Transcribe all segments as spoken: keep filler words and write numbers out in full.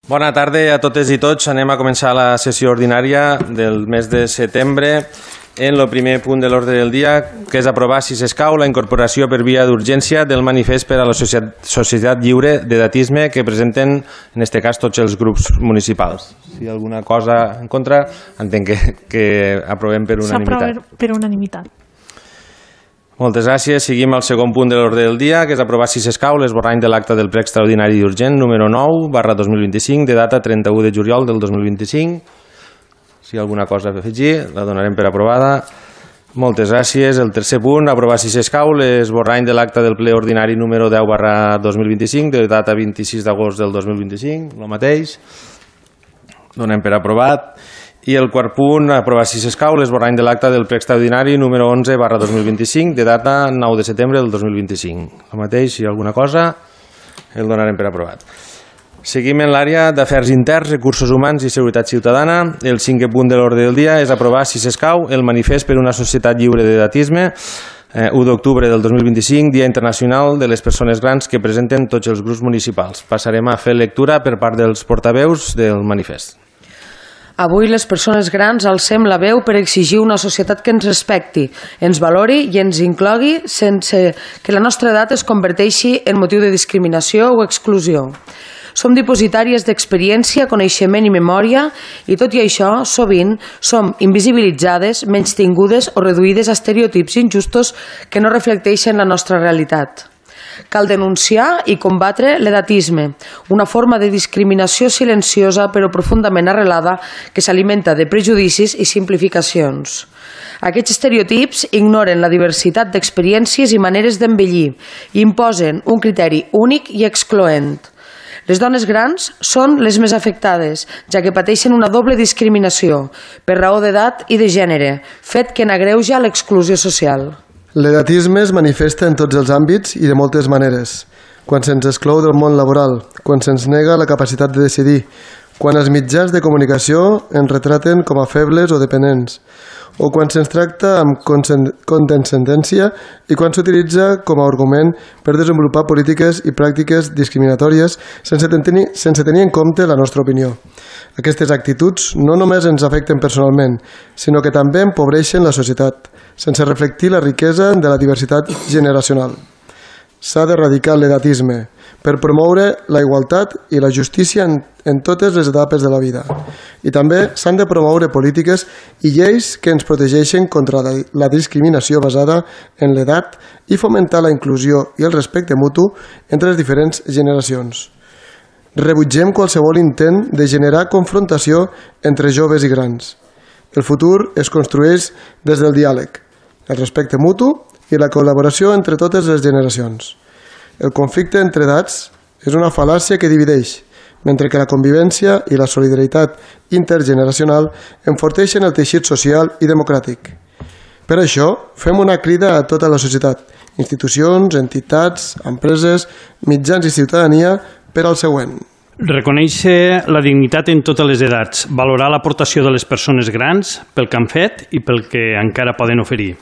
Bona tarda a totes i tots. Anem a començar la sessió ordinària del mes de setembre en el primer punt de l'ordre del dia, que és aprovar, si s'escau, la incorporació per via d'urgència del manifest per a la Societat Lliure d'Edatisme que presenten, en aquest cas, tots els grups municipals. Si hi ha alguna cosa en contra, entenc que, que aprovem per unanimitat. S'aprova per unanimitat. Moltes gràcies. Seguim al segon punt de l'ordre del dia, que és aprovar, si s'escau, l'esborrany de l'acte del ple extraordinari i urgent número nou barra dos mil vint-i-cinc, de data trenta-u de juliol del dos mil vint-i-cinc. Si hi ha alguna cosa a afegir, la donarem per aprovada. Moltes gràcies. El tercer punt, aprovar, si s'escau, l'esborrany de l'acte del ple ordinari número deu barra dos mil vint-i-cinc, de data vint-i-sis d'agost del dos mil vint-i-cinc, el mateix. Donem per aprovat. I el quart punt, aprovar, si s'escau, l'esborrany de l'acte del ple extraordinari número onze barra dos mil vint-i-cinc, de data nou de setembre del dos mil vint-i-cinc. El mateix, si hi ha alguna cosa, el donarem per aprovat. Seguim en l'àrea d'afers interns, recursos humans i seguretat ciutadana. El cinquè punt de l'ordre del dia és aprovar, si s'escau, el manifest per una societat lliure d'edatisme, eh, u d'octubre del dos mil vint-i-cinc, Dia Internacional de les Persones Grans, que presenten tots els grups municipals. Passarem a fer lectura per part dels portaveus del manifest. Avui les persones grans alcem la veu per exigir una societat que ens respecti, ens valori i ens inclogui sense que la nostra edat es converteixi en motiu de discriminació o exclusió. Som dipositàries d'experiència, coneixement i memòria i, tot i això, sovint som invisibilitzades, menystingudes o reduïdes a estereotips injustos que no reflecteixen la nostra realitat. Cal denunciar i combatre l'edatisme, una forma de discriminació silenciosa però profundament arrelada que s'alimenta de prejudicis i simplificacions. Aquests estereotips ignoren la diversitat d'experiències i maneres d'envellir i imposen un criteri únic i excloent. Les dones grans són les més afectades, ja que pateixen una doble discriminació, per raó d'edat i de gènere, fet que n'agreuja l'exclusió social. L'edatisme es manifesta en tots els àmbits i de moltes maneres. Quan se'ns exclou del món laboral, quan se'ns nega la capacitat de decidir, quan els mitjans de comunicació ens retraten com a febles o dependents, o quan se'ns tracta amb condescendència i quan s'utilitza com a argument per desenvolupar polítiques i pràctiques discriminatòries sense tenir, sense tenir en compte la nostra opinió. Aquestes actituds no només ens afecten personalment, sinó que també empobreixen la societat, sense reflectir la riquesa de la diversitat generacional. S'ha d'erradicar l'edatisme per promoure la igualtat i la justícia en, en totes les etapes de la vida. I també s'han de promoure polítiques i lleis que ens protegeixen contra la, la discriminació basada en l'edat i fomentar la inclusió i el respecte mutu entre les diferents generacions. Rebutgem qualsevol intent de generar confrontació entre joves i grans. El futur es construeix des del diàleg, el respecte mutu i la col·laboració entre totes les generacions. El conflicte entre edats és una fal·làcia que divideix, mentre que la convivència i la solidaritat intergeneracional enforteixen el teixit social i democràtic. Per això, fem una crida a tota la societat, institucions, entitats, empreses, mitjans i ciutadania per al següent. Reconèixer la dignitat en totes les edats, valorar l'aportació de les persones grans pel que han fet i pel que encara poden oferir.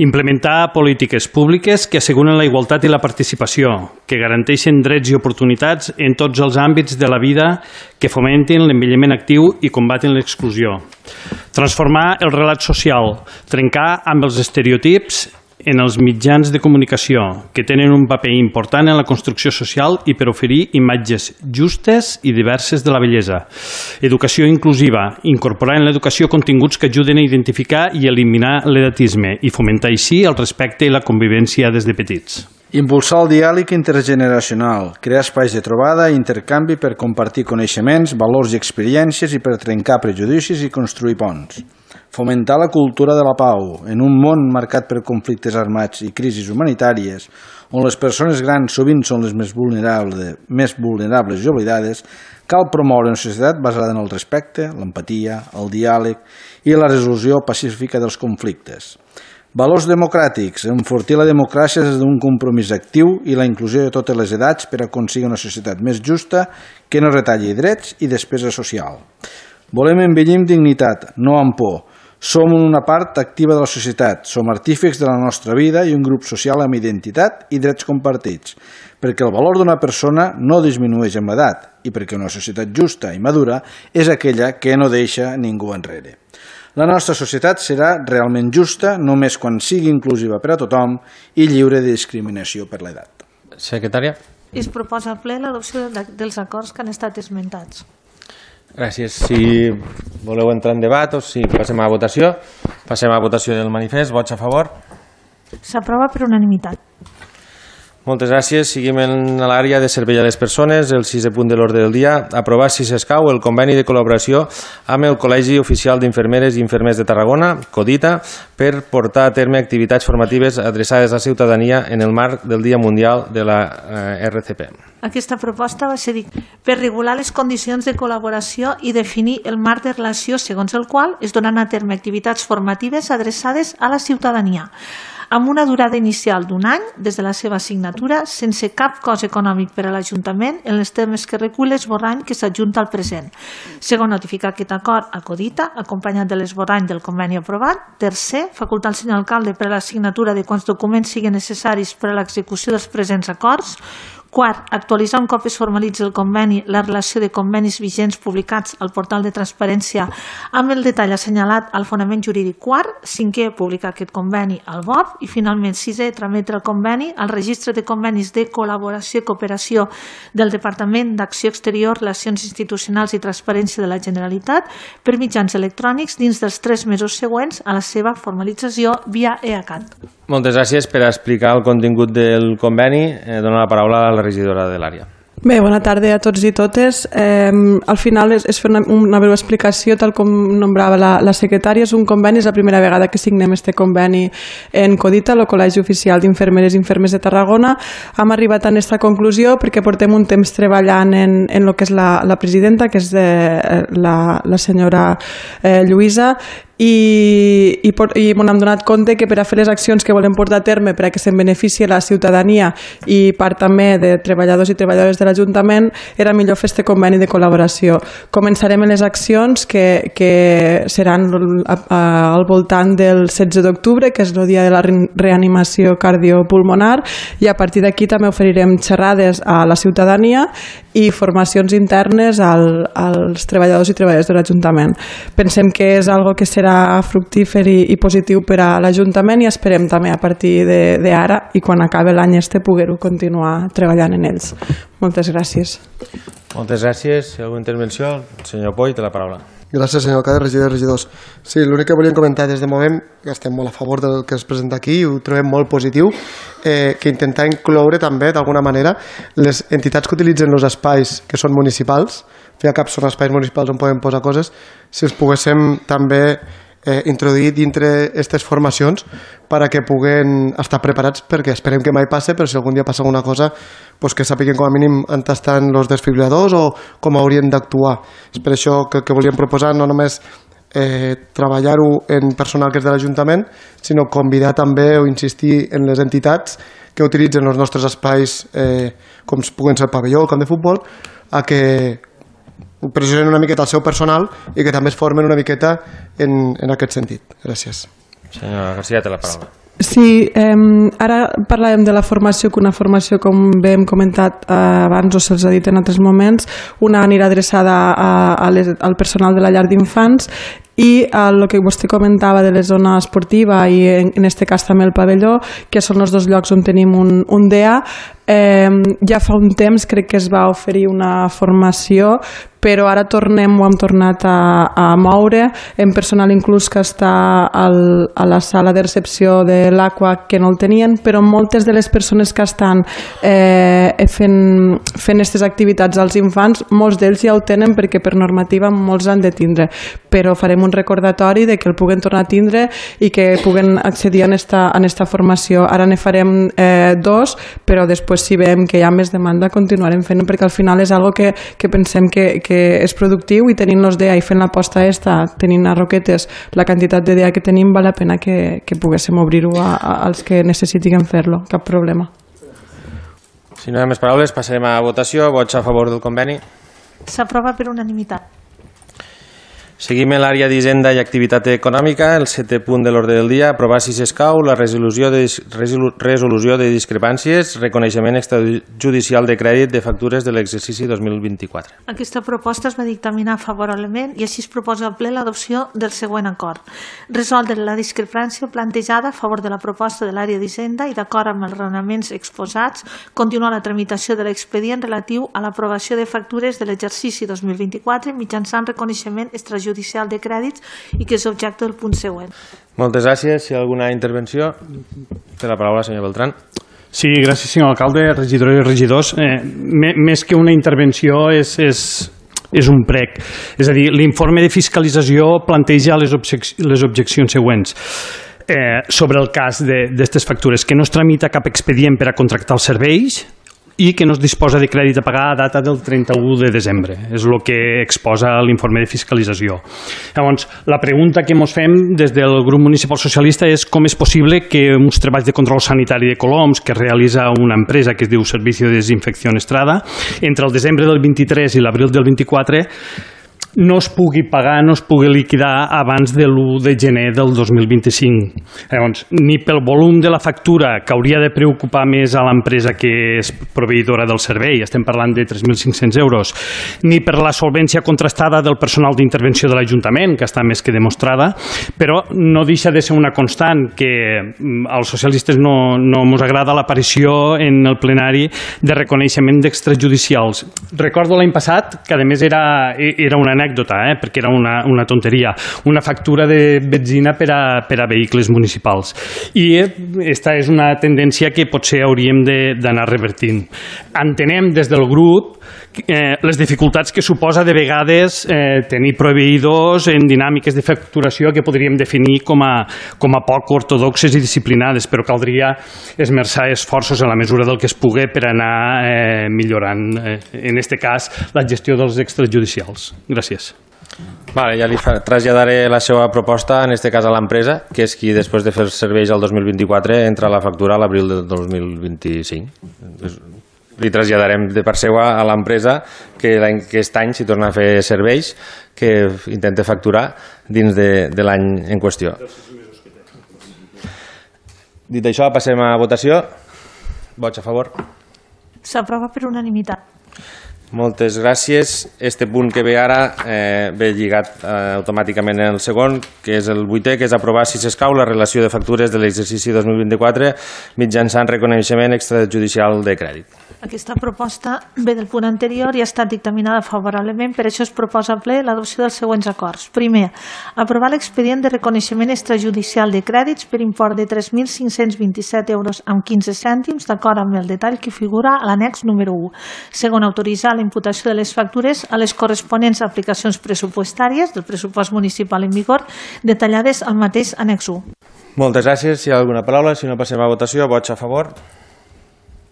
Implementar polítiques públiques que asseguren la igualtat i la participació, que garanteixen drets i oportunitats en tots els àmbits de la vida, que fomentin l'envelliment actiu i combatin l'exclusió. Transformar el relat social, trencar amb els estereotips en els mitjans de comunicació, que tenen un paper important en la construcció social i per oferir imatges justes i diverses de la bellesa. Educació inclusiva, incorporar en l'educació continguts que ajuden a identificar i eliminar l'edatisme i fomentar així el respecte i la convivència des de petits. Impulsar el diàleg intergeneracional, crear espais de trobada i intercanvi per compartir coneixements, valors i experiències i per trencar prejudicis i construir ponts. Fomentar la cultura de la pau en un món marcat per conflictes armats i crisis humanitàries, on les persones grans sovint són les més vulnerables, més vulnerables i oblidades, cal promoure una societat basada en el respecte, l'empatia, el diàleg i la resolució pacífica dels conflictes. Valors democràtics, enfortir la democràcia des d'un compromís actiu i la inclusió de totes les edats per aconseguir una societat més justa que no retalli drets i despesa social. Volem envellir amb dignitat, no amb por. Som una part activa de la societat, som artífex de la nostra vida i un grup social amb identitat i drets compartits, perquè el valor d'una persona no disminueix amb l'edat i perquè una societat justa i madura és aquella que no deixa ningú enrere. La nostra societat serà realment justa només quan sigui inclusiva per a tothom i lliure de discriminació per l'edat. Secretària. Es proposa al ple l'adopció dels acords que han estat esmentats. Gràcies. Si voleu entrar en debat o si passem a votació, passem a votació del manifest. Vots a favor? S'aprova per unanimitat. Moltes gràcies. Seguim en l'àrea de servei a les persones. El sisè punt de l'ordre del dia. Aprovar, si s'escau, el conveni de col·laboració amb el Col·legi Oficial d'Infermeres i Infermers de Tarragona, CODITA, per portar a terme activitats formatives adreçades a la ciutadania en el marc del Dia Mundial de la R C P. Aquesta proposta va ser per regular les condicions de col·laboració i definir el marc de relació segons el qual es donen a terme activitats formatives adreçades a la ciutadania, amb una durada inicial d'un any des de la seva signatura, sense cap cost econòmic per a l'Ajuntament en els termes que recull l'esborrany que s'adjunta al present. Segon, notificar aquest acord a CODITA, acompanyat de l'esborrany del conveni aprovat. Tercer, facultar al senyor alcalde per a la signatura de quants documents siguin necessaris per a l'execució dels presents acords. Quart, actualitzar un cop es formalitzi el conveni la relació de convenis vigents publicats al portal de transparència amb el detall assenyalat al fonament jurídic. Quart, cinquè, publicar aquest conveni al B O P. I finalment, sisè, trametre el conveni al registre de convenis de col·laboració i cooperació del Departament d'Acció Exterior, Relacions Institucionals i Transparència de la Generalitat per mitjans electrònics dins dels tres mesos següents a la seva formalització via EACAT. Moltes gràcies. Per explicar el contingut del conveni, eh, dono la paraula a la regidora de l'àrea. Bé, bona tarda a tots i totes. Eh, al final és, és fer una, una breu explicació, tal com nombrava la, la secretària. És un conveni, és la primera vegada que signem este conveni en CODITA, el Col·legi Oficial d'Infermeres i Infermers de Tarragona. Hem arribat a aquesta conclusió perquè portem un temps treballant en, en el que és la, la presidenta, que és de, la, la senyora eh, Lluïsa, i, i, i ens hem donat compte que per a fer les accions que volem portar a terme per a que se'n beneficie la ciutadania i part també de treballadors i treballadores de l'Ajuntament era millor fer este conveni de col·laboració. Començarem en les accions que, que seran a, a, al voltant del setze d'octubre, que és el dia de la reanimació cardiopulmonar, i a partir d'aquí també oferirem xerrades a la ciutadania i formacions internes al, als treballadors i treballadores de l'Ajuntament. Pensem que és algo que serà fructífer i, i positiu per a l'Ajuntament i esperem també a partir d'ara i quan acabi l'any este poder-ho continuar treballant en ells. Moltes gràcies. Moltes gràcies. Si hi ha alguna intervenció, el senyor Poy té la paraula. Gràcies, senyor alcalde, regidors i regidors. Sí, l'únic que volíem comentar des de moment, que estem molt a favor del que es presenta aquí i ho trobem molt positiu, eh, que intentar incloure també, d'alguna manera, les entitats que utilitzen els espais que són municipals, ja cap són espais municipals on podem posar coses, si els poguéssim també eh, introduir dintre aquestes formacions per a que puguen estar preparats, perquè esperem que mai passe, però si algun dia passa alguna cosa, pues que sàpiguen com a mínim on estan els desfibriladors o com haurien d'actuar. És per això que, que volíem proposar no només eh, treballar-ho en personal que és de l'Ajuntament, sinó convidar també o insistir en les entitats que utilitzen els nostres espais, eh, com puguen ser el pavelló o el camp de futbol, a que pressionen una miqueta el seu personal i que també es formen una miqueta en, en aquest sentit. Gràcies. Senyora García, té la paraula. Sí, eh, ara parlàvem de la formació, que una formació, com bé hem comentat eh, abans o se'ls ha dit en altres moments, una anirà adreçada a, a les, al personal de la llar d'infants i el que vostè comentava de la zona esportiva i en, en este cas també el pavelló, que són els dos llocs on tenim un, un D E A. Eh, ja fa un temps crec que es va oferir una formació, però ara tornem, ho hem tornat a, a moure en personal inclús que està al, a la sala de recepció de l'Aqua, que no el tenien, però moltes de les persones que estan eh, fent aquestes activitats als infants, molts d'ells ja ho tenen perquè per normativa molts han de tindre, però farem un recordatori de que el puguen tornar a tindre i que puguen accedir a esta, a esta formació. Ara ne farem eh, dos, però després si veiem que hi ha més demanda continuarem fent, perquè al final és algo que, que pensem que, que és productiu i tenint els D E A i fent l'aposta esta, tenint a Roquetes la quantitat de D E A que tenim, val la pena que, que poguéssim obrir-ho a, a, als que necessitin fer-lo, cap problema. Si no hi ha més paraules, passarem a votació. Vots a favor del conveni? S'aprova per unanimitat. Seguim en l'àrea d'Hisenda i Activitat Econòmica. El setè punt de l'ordre del dia, aprovar si s'escau la resolució de, resolució de discrepàncies, reconeixement extrajudicial de crèdit de factures de l'exercici dos mil vint-i-quatre. Aquesta proposta es va dictaminar favorablement i així es proposa al ple l'adopció del següent acord. Resoldre la discrepància plantejada a favor de la proposta de l'àrea d'Hisenda i d'acord amb els raonaments exposats, continuar la tramitació de l'expedient relatiu a l'aprovació de factures de l'exercici dos mil vint-i-quatre mitjançant reconeixement extrajudicial judicial de crèdits i que és objecte del punt següent. Moltes gràcies. Si hi ha alguna intervenció, té la paraula, senyor Beltrán. Sí, gràcies, senyor alcalde, regidores i regidors. Eh, més que una intervenció és, és, és un prec. És a dir, l'informe de fiscalització planteja les, objec les objeccions següents. Eh, sobre el cas d'aquestes factures, que no es tramita cap expedient per a contractar els serveis i que no es disposa de crèdit a pagar a data del trenta-u de desembre. És el que exposa l'informe de fiscalització. Llavors, la pregunta que ens fem des del grup municipal socialista és com és possible que uns treballs de control sanitari de coloms que realitza una empresa que es diu Servicio de Desinfección Estrada, entre el desembre del vint-i-tres i l'abril del vint-i-quatre no es pugui pagar, no es pugui liquidar abans de l'u de gener del dos mil vint-i-cinc. Llavors, ni pel volum de la factura, que hauria de preocupar més a l'empresa que és proveïdora del servei, estem parlant de tres mil cinc-cents euros, ni per la solvència contrastada del personal d'intervenció de l'Ajuntament, que està més que demostrada, però no deixa de ser una constant que als socialistes no, no ens agrada l'aparició en el plenari de reconeixement d'extrajudicials. Recordo l'any passat, que a més era, era una anècdota, eh, perquè era una, una tonteria, una factura de benzina per a, per a vehicles municipals. I aquesta és una tendència que potser hauríem d'anar revertint. Entenem des del grup eh, les dificultats que suposa de vegades eh, tenir proveïdors en dinàmiques de facturació que podríem definir com a, com a poc ortodoxes i disciplinades, però caldria esmerçar esforços en la mesura del que es pugui per anar eh, millorant, eh, en aquest cas, la gestió dels extrajudicials. Gràcies. Vale, ja li traslladaré la seva proposta, en aquest cas a l'empresa, que és qui després de fer els serveis el dos mil vint-i-quatre entra la factura a l'abril del dos mil vint-i-cinc. Li traslladarem de part seva a l'empresa que aquest any, si torna a fer serveis, que intenta facturar dins de, de l'any en qüestió. Dit això, passem a votació. Vots a favor. S'aprova per unanimitat. Moltes gràcies. Este punt que ve ara eh, ve lligat eh, automàticament en el segon, que és el vuitè, que és aprovar, si s'escau, la relació de factures de l'exercici dos mil vint-i-quatre mitjançant reconeixement extrajudicial de crèdit. Aquesta proposta ve del punt anterior i ha estat dictaminada favorablement, per això es proposa al ple l'adopció dels següents acords. Primer, aprovar l'expedient de reconeixement extrajudicial de crèdits per import de tres mil cinc-cents vint-i-set euros amb quinze cèntims, d'acord amb el detall que figura a l'annex número u. Segon, autoritzar la imputació de les factures a les corresponents aplicacions pressupostàries del pressupost municipal en vigor, detallades al mateix annex u. Moltes gràcies. Si hi ha alguna paraula, si no passem a votació, vots a favor.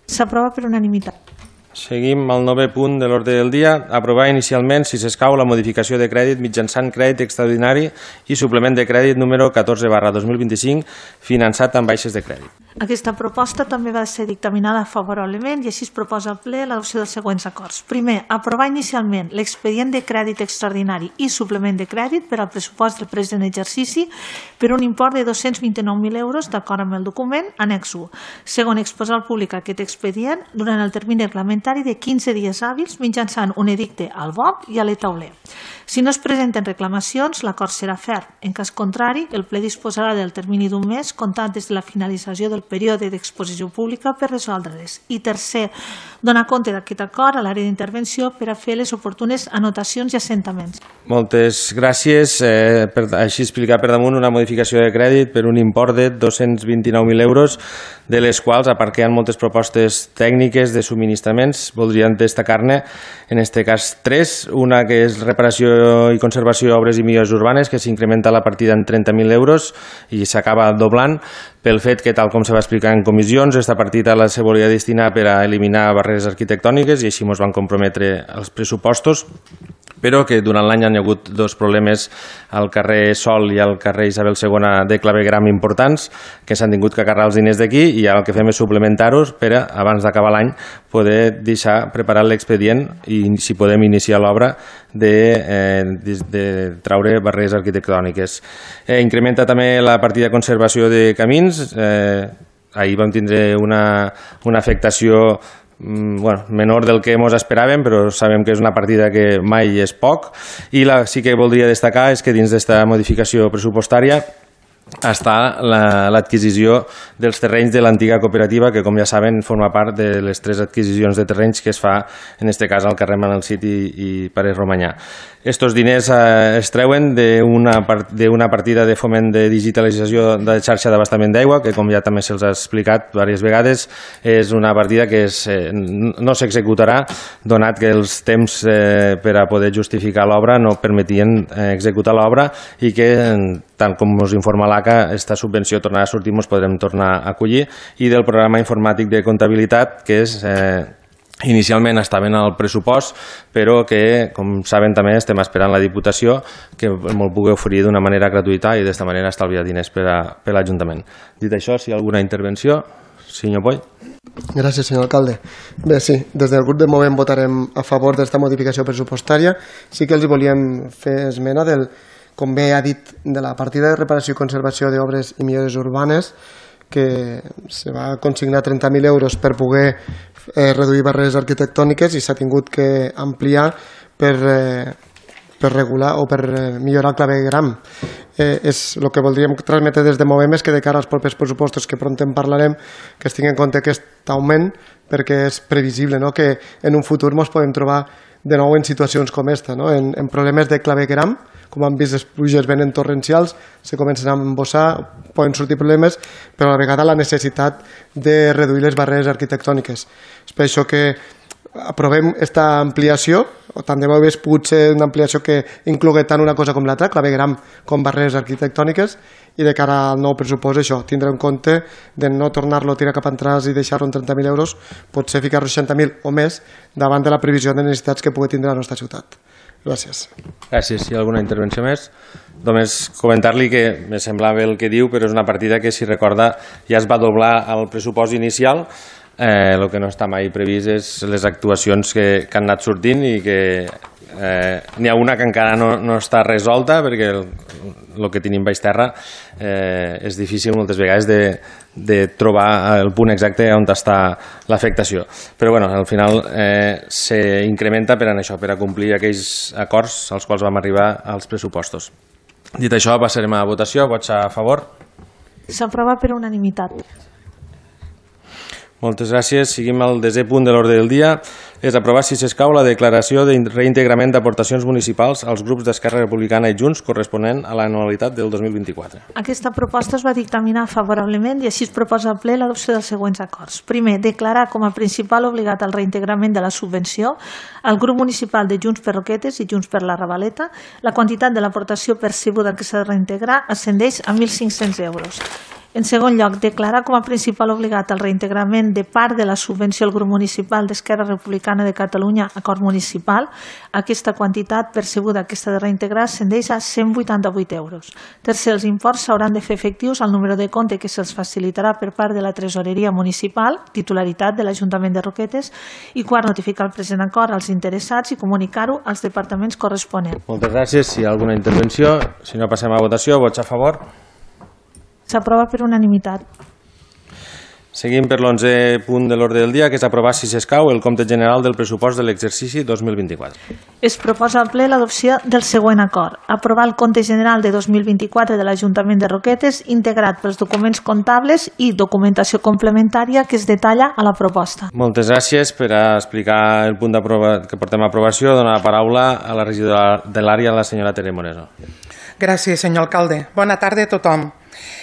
S'aprova per unanimitat. Seguim al novè punt de l'ordre del dia. Aprovar inicialment, si s'escau, la modificació de crèdit mitjançant crèdit extraordinari i suplement de crèdit número catorze barra dos mil vint-i-cinc, finançat amb baixes de crèdit. Aquesta proposta també va ser dictaminada favorablement i així es proposa al ple l'adopció dels següents acords. Primer, aprovar inicialment l'expedient de crèdit extraordinari i suplement de crèdit per al pressupost del present exercici per un import de dos-cents vint-i-nou mil euros, d'acord amb el document annex u. Segon, exposar al públic aquest expedient durant el termini reglamentari de quinze dies hàbils mitjançant un edicte al B O C i a l'e-tauler. Si no es presenten reclamacions, l'acord serà ferm. En cas contrari, el ple disposarà del termini d'un mes comptat des de la finalització del període d'exposició pública per resoldre-les. I tercer, donar compte d'aquest acord a l'àrea d'intervenció per a fer les oportunes anotacions i assentaments. Moltes gràcies. Eh, per, així explicar per damunt una modificació de crèdit per un import de dos-cents vint-i-nou mil euros, de les quals, a part que hi ha moltes propostes tècniques de subministraments, voldríem destacar-ne, en aquest cas, tres. Una que és reparació i conservació d'obres i millores urbanes, que s'incrementa la partida en trenta mil euros i s'acaba doblant pel fet que, tal com se va explicar en comissions, aquesta partida la se volia destinar per a eliminar barreres arquitectòniques i així ens van comprometre els pressupostos. però que durant l'any hi ha hagut dos problemes al carrer Sol i al carrer Isabel segona de clavegram importants, que s'han tingut que carregar els diners d'aquí, i ara el que fem és suplementar-los per a, abans d'acabar l'any, poder deixar preparat l'expedient i, si podem, iniciar l'obra de, eh, de, de traure barreres arquitectòniques. Eh, incrementa també la partida de conservació de camins. Eh, ahir vam tindre una, una afectació bueno, menor del que ens esperàvem, però sabem que és una partida que mai és poc. I la, sí que voldria destacar és que dins d'esta modificació pressupostària està l'adquisició dels terrenys de l'antiga cooperativa, que, com ja saben, forma part de les tres adquisicions de terrenys que es fa, en aquest cas, al carrer Manel Cid i, i Pare Romanyà. Estos diners eh, es treuen d'una d'una partida de foment de digitalització de xarxa d'abastament d'aigua, que, com ja també se'ls ha explicat diverses vegades, és una partida que es, eh, no s'executarà, donat que els temps eh, per a poder justificar l'obra no permetien eh, executar l'obra, i que, tant com us informa l'A C A, aquesta subvenció tornarà a sortir, ens podrem tornar a acollir, i del programa informàtic de comptabilitat, que és... Eh, inicialment estaven al pressupost, però que, com saben, també estem esperant la Diputació que ens pugui oferir d'una manera gratuïta i d'esta manera estalviar diners per a, per a l'Ajuntament. Dit això, si hi ha alguna intervenció, senyor Poll. Gràcies, senyor alcalde. Bé, sí, des del grup de Movem votarem a favor d'esta modificació pressupostària. Sí que els volíem fer esmena del, com bé ha dit, de la partida de reparació i conservació d'obres i millores urbanes, que se va consignar trenta mil euros per poder eh, reduir barreres arquitectòniques, i s'ha tingut que ampliar per, eh, per regular o per eh, millorar el clavegram. Eh, és el que voldríem transmetre des de Movem, és que de cara als propers pressupostos, que pront en parlarem, que es tingui en compte aquest augment, perquè és previsible, no?, que en un futur ens podem trobar de nou en situacions com esta, no?, en, en problemes de clavegram. Com han vist, les pluges venen torrencials, se comencen a embossar, poden sortir problemes, però a la vegada la necessitat de reduir les barreres arquitectòniques. És per això que aprovem aquesta ampliació, o tant de bo hagués pogut ser una ampliació que inclogui tant una cosa com l'altra, clavegram com barreres arquitectòniques, i de cara al nou pressupost això, tindre en compte de no tornar-lo a tirar cap entrades i deixar-lo en trenta mil euros, potser ficar-lo seixanta mil o més davant de la previsió de necessitats que pugui tindre la nostra ciutat. Gràcies. Gràcies. Si hi ha alguna intervenció més? Només comentar-li que me semblava el que diu, però és una partida que, si recorda, ja es va doblar al pressupost inicial. Eh, el que no està mai previst és les actuacions que, que han anat sortint, i que eh, n'hi ha una que encara no, no està resolta, perquè el, el que tenim baix terra eh, és difícil moltes vegades de, de trobar el punt exacte on està l'afectació. Però bueno, al final eh, s'incrementa per a això, per a complir aquells acords als quals vam arribar als pressupostos. Dit això, passarem a votació. Vots a favor? S'aprova per unanimitat. Moltes gràcies. Seguim al desè punt de l'ordre del dia. És aprovar, si s'escau, la declaració de reintegrament d'aportacions municipals als grups d'Esquerra Republicana i Junts corresponent a l'anualitat del dos mil vint-i-quatre. Aquesta proposta es va dictaminar favorablement, i així es proposa al ple l'adopció dels següents acords. Primer, declarar com a principal obligat al reintegrament de la subvenció al grup municipal de Junts per Roquetes i Junts per la Ravaleta. La quantitat de l'aportació percebuda que s'ha de reintegrar ascendeix a mil cinc-cents euros. En segon lloc, declarar com a principal obligat al reintegrament de part de la subvenció al grup municipal d'Esquerra Republicana de Catalunya, acord municipal. Aquesta quantitat percebuda que s'ha de reintegrar ascendeix a cent vuitanta-vuit euros. Tercer, els imports s'hauran de fer efectius al número de compte que se'ls facilitarà per part de la tresoreria municipal, titularitat de l'Ajuntament de Roquetes. I quart, notificar el present acord als interessats i comunicar-ho als departaments corresponents. Moltes gràcies. Si hi ha alguna intervenció, si no, passem a votació. Vots a favor? S'aprova per unanimitat. Seguim per l'onzè punt de l'ordre del dia, que és aprovar, si s'escau, el compte general del pressupost de l'exercici dos mil vint-i-quatre. Es proposa al ple l'adopció del següent acord. Aprovar el compte general de dos mil vint-i-quatre de l'Ajuntament de Roquetes, integrat pels documents comptables i documentació complementària que es detalla a la proposta. Moltes gràcies. Per a explicar el punt que portem a aprovació, donar la paraula a la regidora de l'àrea, la senyora Tere Moreso. Gràcies, senyor alcalde. Bona tarda a tothom.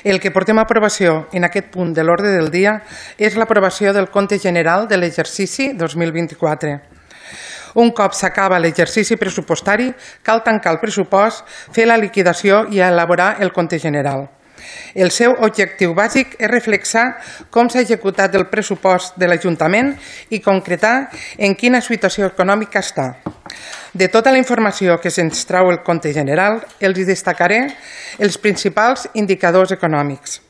El que portem a aprovació en aquest punt de l'ordre del dia és l'aprovació del compte general de l'exercici dos mil vint-i-quatre. Un cop s'acaba l'exercici pressupostari, cal tancar el pressupost, fer la liquidació i elaborar el compte general. El seu objectiu bàsic és reflexar com s'ha executat el pressupost de l'Ajuntament i concretar en quina situació econòmica està. De tota la informació que se'ns trau el compte general, els destacaré els principals indicadors econòmics.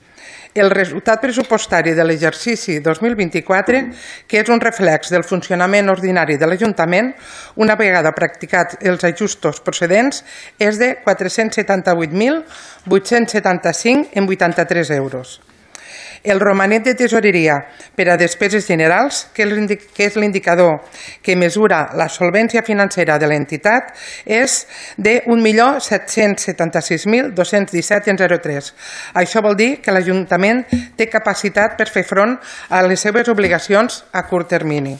El resultat pressupostari de l'exercici dos mil vint-i-quatre, que és un reflex del funcionament ordinari de l'Ajuntament, una vegada practicats els ajustos procedents, és de quatre-cents setanta-vuit mil vuit-cents setanta-cinc coma vuitanta-tres euros. El romanent de tesoreria per a despeses generals, que és l'indicador que mesura la solvència financera de l'entitat, és de un milió set-cents setanta-sis mil dos-cents disset coma zero tres. Això vol dir que l'Ajuntament té capacitat per fer front a les seves obligacions a curt termini.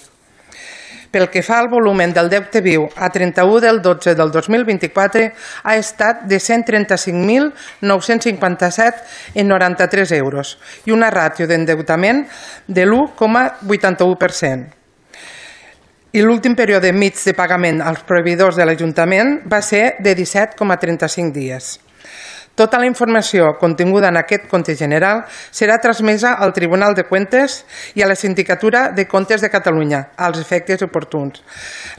Pel que fa al volumen del deute viu a trenta-u del dotze del dos mil vint-i-quatre ha estat de cent trenta-cinc mil nou-cents cinquanta-set coma noranta-tres euros i una ràtio d'endeutament de l'u coma vuitanta-u per cent. I l'últim període mig de pagament als proveïdors de l'Ajuntament va ser de disset coma trenta-cinc dies. Tota la informació continguda en aquest compte general serà transmesa al Tribunal de Comptes i a la Sindicatura de Comptes de Catalunya, als efectes oportuns.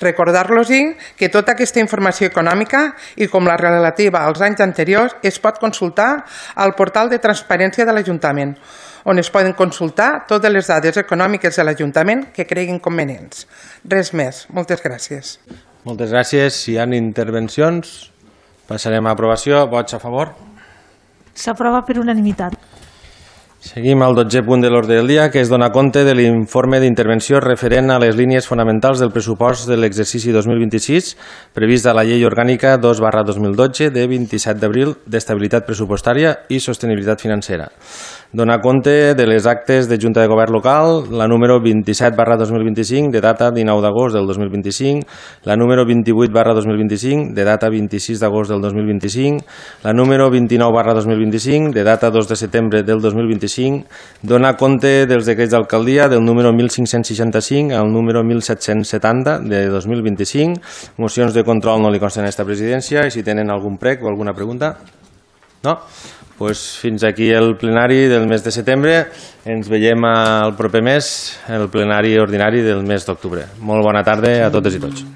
Recordar-los que tota aquesta informació econòmica, i com la relativa als anys anteriors, es pot consultar al portal de transparència de l'Ajuntament, on es poden consultar totes les dades econòmiques de l'Ajuntament que creguin convenients. Res més. Moltes gràcies. Moltes gràcies. Si hi ha intervencions, passarem a aprovació. Vots a favor? S'aprova per unanimitat. Seguim al dotzè punt de l'ordre del dia, que és donar compte de l'informe d'intervenció referent a les línies fonamentals del pressupost de l'exercici dos mil vint-i-sis previst a la Llei Orgànica dos barra dos mil dotze de vint-i-set d'abril d'estabilitat pressupostària i sostenibilitat financera. Donar compte de les actes de Junta de Govern Local, la número vint-i-set barra dos mil vint-i-cinc, de data dinou d'agost del dos mil vint-i-cinc, la número vint-i-vuit barra dos mil vint-i-cinc, de data vint-i-sis d'agost del dos mil vint-i-cinc, la número vint-i-nou barra dos mil vint-i-cinc, de data dos de setembre del dos mil vint-i-cinc, donar compte dels decrets d'alcaldia del número mil cinc-cents seixanta-cinc al número mil set-cents setanta de dos mil vint-i-cinc, mocions de control no li consten a esta presidència, i si tenen algun prec o alguna pregunta? No? Pues fins aquí el plenari del mes de setembre. Ens veiem el proper mes, el plenari ordinari del mes d'octubre. Molt bona tarda a totes i tots.